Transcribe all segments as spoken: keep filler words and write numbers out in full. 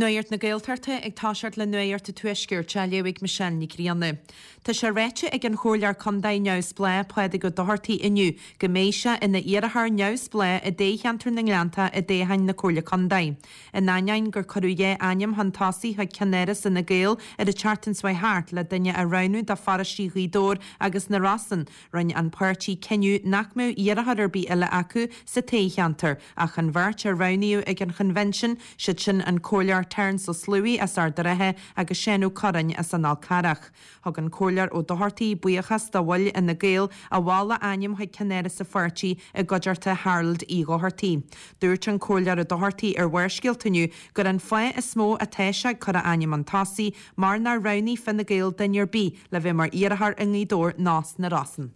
Nuacht na Gaeltachta ag toiseacht le Nuacht an Tuaiscirt á léamh ag Michelle Ní Ghrianna. Tá sé ráite ag an Chomhairleoir Contae neamhspleách Pádraig Ó Dochartaigh inniu go mbeidh sé ina iarrthóir neamhspleách i dtoghcheantar na nGleannta i dtoghchán na Comhairle Contae. In ainneoin gur cuireadh dhá ainm chun tosaigh chuig ceannáras Fhine Gael ar an tseachtain seo thart le duine a roghnú do pharóistí Ghaoth Dobhair agus na Rosann, rinne an páirtí cinneadh nach mbeadh iarrthóir ar bith eile acu sa toghcheantar ach an bheirt a roghnaíodh ag an chonvention, siad sin an Comhairleoir Terence Ó Sluaighe as Ard an Rátha agus Seán Ó Curráin as an Fhál Carrach. Thug an Comhairleoir Ó Dochartaigh buíochas do bhaill Fhine Gael a mhol a ainm chuig ceannáras an pháirtí i gcuideachta Harold Uí Dhochartaigh. Dúirt an Comhairleoir Ó Dochartaigh ar Bharrscéalta inniu gur an fáth is mó atá sé ag cur a ainm chun tosaigh mar nár roghnaigh Fine Gael duine ar bith le bheith mar iarrthóir i nGaoth Dobhair ná sna Rosann.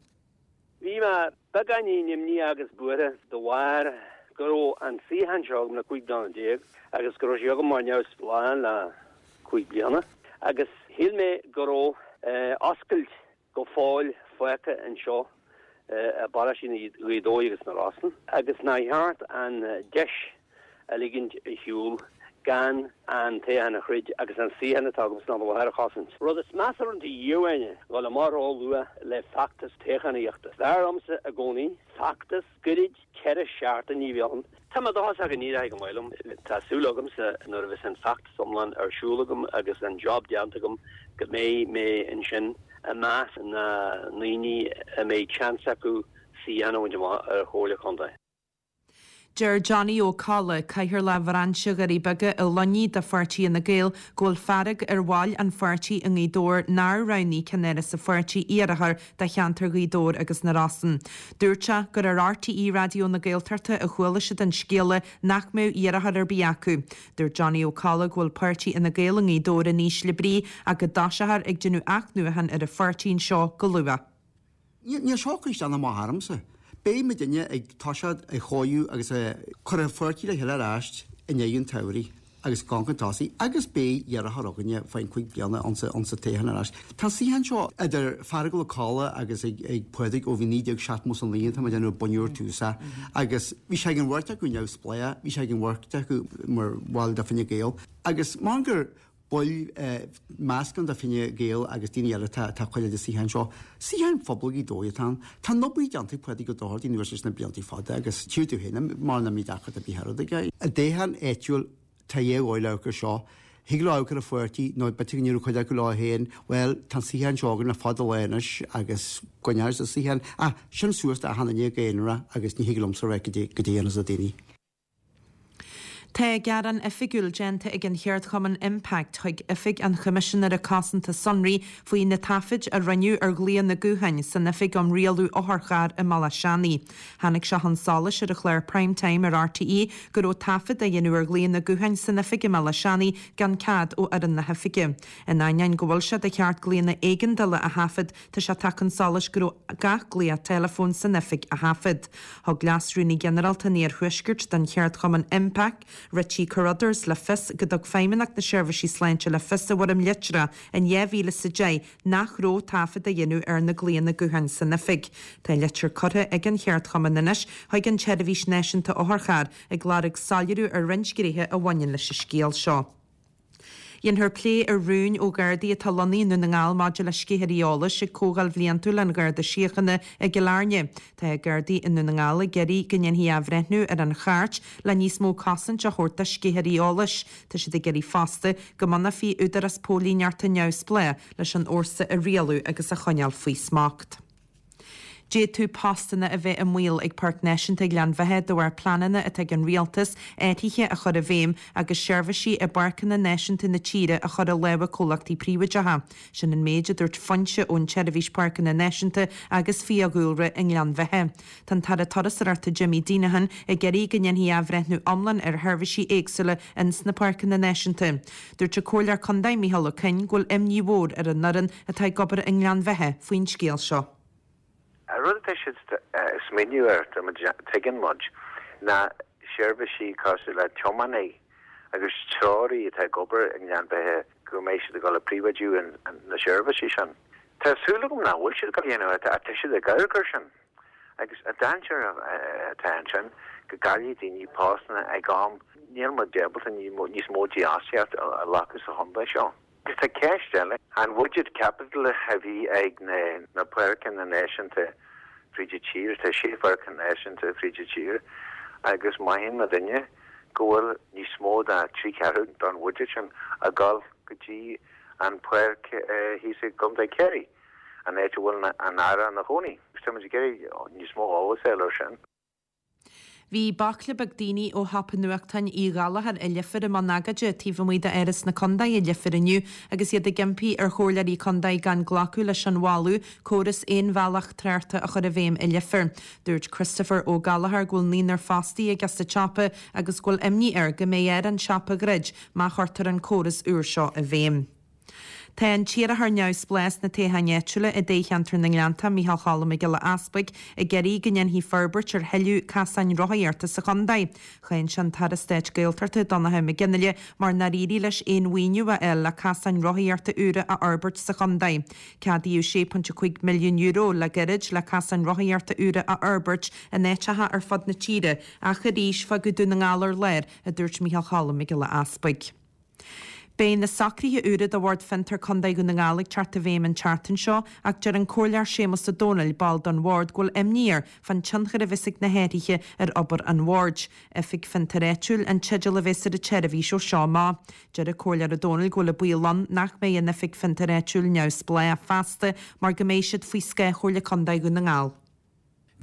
Bhí mé beagáinín imníoch agus buartha de bharr go raibh an suíochán seo agam le cúig bliana déag agus go raibh sé agam mar neamhspleách le cúig bliana agus shíl mé go raibh oscailt go fóill fágtha anseo i bparóistí Ghaoth Dobhair agus na Rosann agus nár cheart an deis a ligint ar shiúl gan an toghchán a throid agus an suíochán atá agam san am i láthair a chosaint. Rud is measa rinne dhíomhaoine dul amach róluath le feachtas toghchánaíochta. B'fhearr liomsa i gcónaí feachtas gairid ceithre seachtaine a bheith ann. Tá mé dóchasach go n-éireoidh go maith liom. Tá súil agamsa nuair a bheas an feachtas iomlán ar siúl agam agus an job déanta agam go mbeidh mé ansin i measc na ndaoine a mbeidh seans acu suíochán a bhaint amach ar Chomhairle Contae. Deir Johnny Ó Colla, Cathaoirleach Bhrainse Dhoirí Beaga i Luimnigh de pháirtí Fhine Gael go bhfuil fearg ar bhaill an pháirtí i nGaoth Dobhair nár roghnaigh ceannáras an pháirtí iarrthóir do cheantar Ghaoth Dobhair agus na Rosann. Dúirt sé gur ar RTÉ Raidió na Gaeltachta a chuala siad an scéala nach mbeadh iarrthóir ar bith acu. Dúirt Johnny Ó Colla go bhfuil páirtí Fhine Gael i nGaoth Dobhair in ísle brí ach go dtoiseofar ag déanamh athnuachan ar an pháirtí anseo go luath. Níl seo ag cur isteach ná amach ormsa. Beidh muidinne ag toiseacht ag chóiriú agus ag cur an pháirtí le chéile ar ais i ndiaidh an tsamhraidh agus gan chun tosaigh agus beidh iarrthóir againne faoin cúig bliana ansa ansa toghchán ar ais. Tá an suíochán seo idir Feargal Ó Colla agus ag ag Pádraig ó bhí naoi déag seachtó is a naoi tá mé ag déanamh bunúr tús agus bhí sé ag an bheirt acu neamhspleách, bhí sé ag an bheirt acu mar bhall de Fine Gael agus mar gur baill meascán de Fine Gael agus daoine eile atá ag coinneáil an suíochán seo. Suíochán phobal Ghaoth Dobhair atá ann. Tá an obair déanta ag Pádraig Ó Dochartaigh anuas leis na blianta fada agus tchí tú féin mar nach mbíonn deacracht ar bith ar aige. I dtoghchán áitiúil tá dhá dhóigh le amharc air seo. Thig leo amharc ar an pháirtí nó b'fhéidir go ndéarfadh cuid acu leo féin, bhuel tá an suíochán seo againn le fada lá anois agus coinneoidh an suíochán. Ach sin suas do achan duine go haonarach agus ní thig liomsa a rá goidé a dhéanfas na daoine. Tá gearán oifigiúil déanta ag an cheardchumann Impact chuig Oifig an Choimisinéara Cosanta Sonraí faoi na taifid a rinneadh ar ghlaonna gutháin san Oifig um Rialú Otharcharr i mBaile Átha Seanaidh. Tháinig sé chun solais ar an chlár Prime Time ar RTÉ go raibh taifead á dhéanamh ar ghlaonna gutháin san oifig i mBaile Átha Seanaidh gan cead ó fhoireann na hoifige. In ainneoin go bhfuil sé de cheart glaonna éigeandála a thaifead, tá sé tagtha chun solais go raibh gach glaoch teileafóin san oifig á thaifead. Thug Leas-Rúnaí Ginearálta an Iarthuaiscirt don cheardchumann Impact, Richie Carruthers le fios go dtug Feidhmeannacht na Seirbhísí Sláinte le fios i bhfoirm litreach in dhá mhíle is a deich nach raibh taifead á dhéanamh ar na glaonna gutháin san oifig. Tá litir curtha ag an cheardchumann anois chuig an tSeirbhís Náisiúnta Otharcharr ag lorg soiléiriú ar roinnt gnéithe a bhaineann leis an scéal seo. Dhéanfar plé ar rúin ó Ghardaí atá lonnaithe i nDún na nGall maidir le sceithirí eolais ag Comhdháil Bhliantúil an Gharda Síochána i gCill Airne. Tá Gardaí i nDún na nGall ag iarraidh go ndéanfaí athbhreithniú ar an chairt le níos mó cosaint a thabhairt do sceithirí eolais. Tá siad ag iarraidh fosta go mbunófaí údarás póilíneachta neamhspleách leis an fhórsa a rialú agus a choinneáil faoi smacht. D'fhéadfadh postanna a bheith i mbaol ag Páirc Náisiúnta Ghleann Bheatha de bharr pleananna atá ag an rialtas athruithe a chur i bhfeidhm agus seirbhísí i bpáirceanna náisiúnta na tíre a chur i lámha comhlachtaí príobháideacha. Sin an méid a dúirt foinse ón tSeirbhís Páirceanna Náisiúnta agus Fiadhúlra i nGleann Bheatha. Tá an tAire Turasóireachta Jimmy Deenihan ag iarraidh go ndéanfaí athbhreithniú iomlán ar sheirbhísí éagsúla ins na páirceanna náisiúnta. Dúirt an Comhairleoir Contae Micheál Ó Coinn go bhfuil imní mhór ar an fhoireann atá ag obair i nGleann Bheatha faoin scéal seo. An rud atá siad ag smaoineamh air, tuigeann muid, ná seirbhísí cosúil le tiománaí agus treoraí atá ag obair i nGleann Bheatha go mbeidh siad ag dul a príobháidiú na seirbhísí sin. Tá súil agam nach bhfuil siad ag dul a dhéanamh ach tá siad ag amharc air sin agus an dainséar atá ansin go gcaillfidh daoine postanna ag am níl muid ábalta níos mó dífhostaíocht a ghlacadh sa chontae seo. Agus tá ceist eile, an budget capital a bhí ag na na páirceanna náisiúnta fríd an tír, tá sé pháirc náisiúnta fríd an tír agus maíonn muidinne go bhfuil níos mó ná trí cheathrú don bhuiséad sin ag dul go dtí an pháirc thíos i gContae Chiarraí, an áit a bhfuil an tAire ina chónaí. Tá muid ag iarraidh níos mó eolais a fháil air sin. Bhí baicle beag daoine ó shiopa nuachtáin Uí Ghallchóir i Leifear i mbun agóide taobh amuigh d'Áras na Condae i Leifear inniu agus iad ag impí ar chomhairleoirí condae gan glacadh leis an mholadh córas aon-bhealach tráchta a chur i bhfeidhm i Leifear. Dúirt Christopher Ó Gallchóir go bhfuil naonúr fostaí aige sa tsiopa agus go bhfuil imní air go mbeidh air an siopa a dhruid má chuirtear an córas úr seo i bhfeidhm. Tá an t-iarrthóir neamhspleách sna toghcháin áitiúla i dtoghcheantar na nGleannta, Micheál Choilm Mac Giolla Easpaig, ag iarraidh go ndéanfaí forbairt ar thuilleadh casáin rothaíochta sa chontae. Cháin sé an tAire Stáit Gaeltachta Donnchadh Mac Fhionnghaile mar nár éirigh leis aon mhaoiniú a fháil le casáin rothaíochta úra a fhorbairt sa chontae. Ceadaíodh sé pointe cúig milliún euro le gairid le casáin rothaíochta úra a fhorbairt in áiteacha ar fud na tíre, ach arís fágadh Dún na nGall ar lár, a dúirt Micheál Choilm Mac Giolla Easpaig. Beidh na socruithe úra do Bhord Fiontar Contae Dhún na nGall ag teacht i bhfeidhm an tseachtain seo ach deir an Comhairleoir Séamus Ó Domhnaill, ball don bhord, go bhfuil imní air fán tionchar a bheas ag na hathruithe ar obair an bhoird. Oifig Fiontair Áitiúil an teideal a bheas ar an tseirbhís ó seo amach. Deir an Comhairleoir Ó Domhnaill go bhfuil an baol ann nach mbeidh an Oifig Fiontair Áitiúil neamhspleách feasta mar go mbeidh siad faoi scáth Chomhairle Contae Dhún na nGall.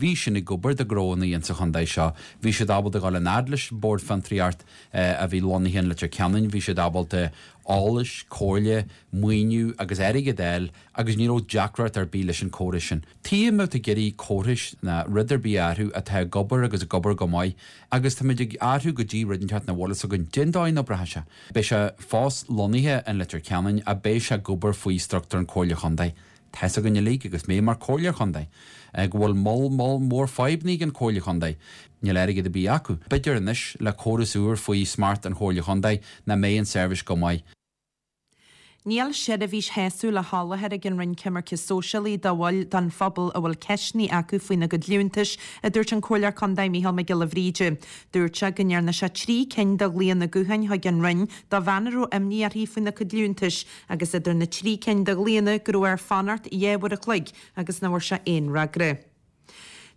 Bhí sin ag obair do ghnónna insa chontae seo. Bhí siad ábalta dul an fhad leis Bord Fiontraíocht a bhí lonnaithe in Leitir Ceanainn, bhí siad ábalta eolas, comhairle, maoiniú agus airgead a fháil agus ní raibh deacracht ar bith leis an córas sin. Tuigim tú ag iarraidh córais ná rud ar bith a athrú atá ag obair agus ag obair go maith agus táimid ag athrú go dtí rud inteacht nach bhfuil fhios againn cén dóigh a n-oibreoidh sé. Beidh sé fós lonnaithe in Leitir Ceanainn ach beidh sé ag obair faoi struchtúr an Chomhairle Chontae. Tá fhios againn uilig agus mé mar Chomhairleoir Chontae go bhfuil moll moll mór fadhbanna ag an Chomhairle Chontae. Níl airgead ar bith acu. B'fhéidir anois le córas úr faoi smacht an Chomhairle Chontae nach mbeidh an seirbhís go maith. Níl seirbhís shásúil á sholáthar ag an Roinn Coimirce Sóisialaí do bhaill den phobal a bhfuil ceisteanna acu faoina gcuid liúntais, a dúirt an Comhairleoir Contae Micheál Mac Giolla Bhríde. Dúirt sé go ndearna sé trí cinn de ghlaonna gutháin chuig an Roinn do bhean a raibh imní uirthi faoina cuid liúntais agus idir na trí cinn de ghlaonna go raibh air fanacht dhá uair a chloig agus nach bhfuair sé aon fhreagra.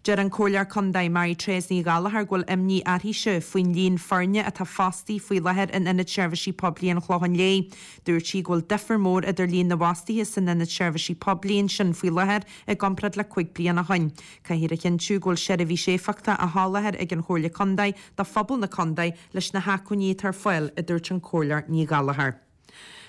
Deir an Comhairleoir Contae Mary Therese Ní Ghallchóir go bhfuil imní uirthise faoin líon foirne atá fostaithe faoi láthair in Ionad Seirbhísí Poiblí an Chlocháin Léith. Dúirt sí go bhfuil difear mór idir líon na bhfostaithe san Ionad Seirbhísí Poiblí ansin faoi láthair i gcomparáid le cúig bliana ó shin. Caithfear a chinntiú go bhfuil seirbhís éifeachtach á sholáthar ag an Chomhairle Contae do phobal na Contae leis na hacmhainní atá ar fáil, a dúirt an Comhairleoir Ní Ghallchóir.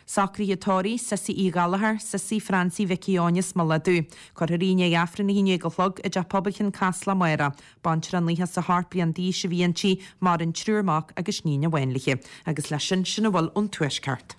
Socruithe tórraimh, Sissy Uí Ghallchóir, Sissy Francie Mhicí Eoin as Mullach Dubh. Cuirfear í i ndiaidh Aifreann a haon déag a chlog i dTeach Pobail Chionn Caslach amárach. Baintreach nócha is a hocht bliain d'aois a bhí inti, maireann triúr mac agus níon amháin léi. Agus leis sin, sin a bhfuil ón Tuaisceart.